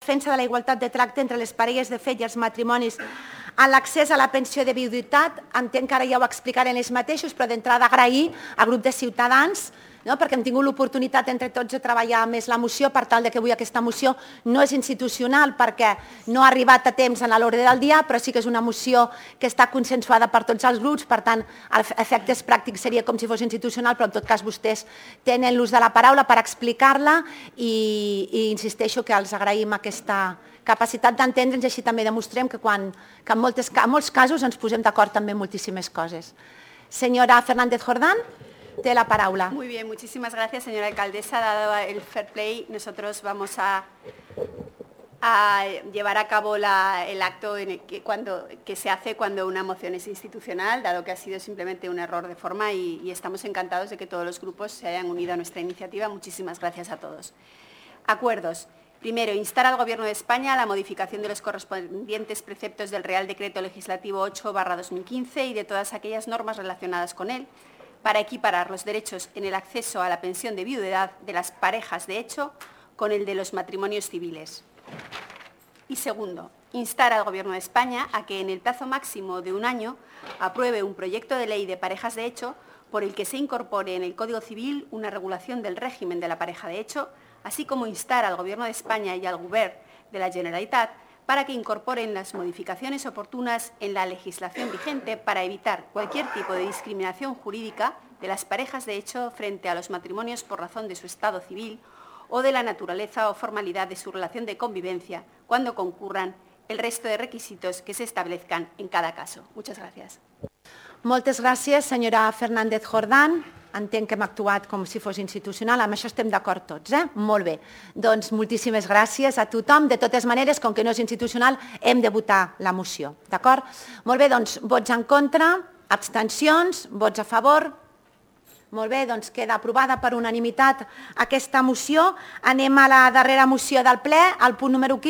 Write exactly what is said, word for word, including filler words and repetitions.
defensa de la igualtat de tracte entre les parelles de fet i els matrimonis en l'accés a la pensió de viuditat. Entenc que ara ja ho explicaré ells mateixos, però d'entrada agrair al grup de Ciutadans, no? perquè hem tingut l'oportunitat entre tots de treballar més la moció per tal que avui aquesta moció no és institucional perquè no ha arribat a temps en l'ordre del dia, però sí que és una moció que està consensuada per tots els grups, per tant, a efectes pràctics seria com si fos institucional, però en tot cas vostès tenen l'ús de la paraula per explicar-la i, i insisteixo que els agraïm aquesta capacitat d'entendre'ns i així també demostrem que, quan, que en, moltes, en molts casos ens posem d'acord també en moltíssimes coses. Senyora Fernández Jordán, té la paraula. Muy bien, muchísimas gracias, señora alcaldesa. Dado el fair play, nosotros vamos a, a llevar a cabo la, el acto en el que, cuando, que se hace cuando una moción es institucional, dado que ha sido simplemente un error de forma y, y estamos encantados de que todos los grupos se hayan unido a nuestra iniciativa. Muchísimas gracias a todos. Acuerdos. Primero, instar al Gobierno de España a la modificación de los correspondientes preceptos del Real Decreto Legislativo ocho barra dos mil quince y de todas aquellas normas relacionadas con él, para equiparar los derechos en el acceso a la pensión de viudedad de las parejas de hecho con el de los matrimonios civiles. Y segundo, instar al Gobierno de España a que en el plazo máximo de un año apruebe un proyecto de ley de parejas de hecho por el que se incorpore en el Código Civil una regulación del régimen de la pareja de hecho, así como instar al Gobierno de España y al Govern de la Generalitat para que incorporen las modificaciones oportunas en la legislación vigente para evitar cualquier tipo de discriminación jurídica de las parejas de hecho frente a los matrimonios por razón de su estado civil o de la naturaleza o formalidad de su relación de convivencia cuando concurran el resto de requisitos que se establezcan en cada caso. Muchas gracias. Moltes gràcies, senyora Fernández Jordán. Entenc que hem actuat com si fos institucional, amb això estem d'acord tots, eh? Molt bé. Doncs moltíssimes gràcies a tothom. De totes maneres, com que no és institucional, hem de votar la moció, d'acord? Molt bé, doncs vots en contra, abstencions, vots a favor. Molt bé, doncs queda aprovada per unanimitat aquesta moció. Anem a la darrera moció del ple, el punt número quinze.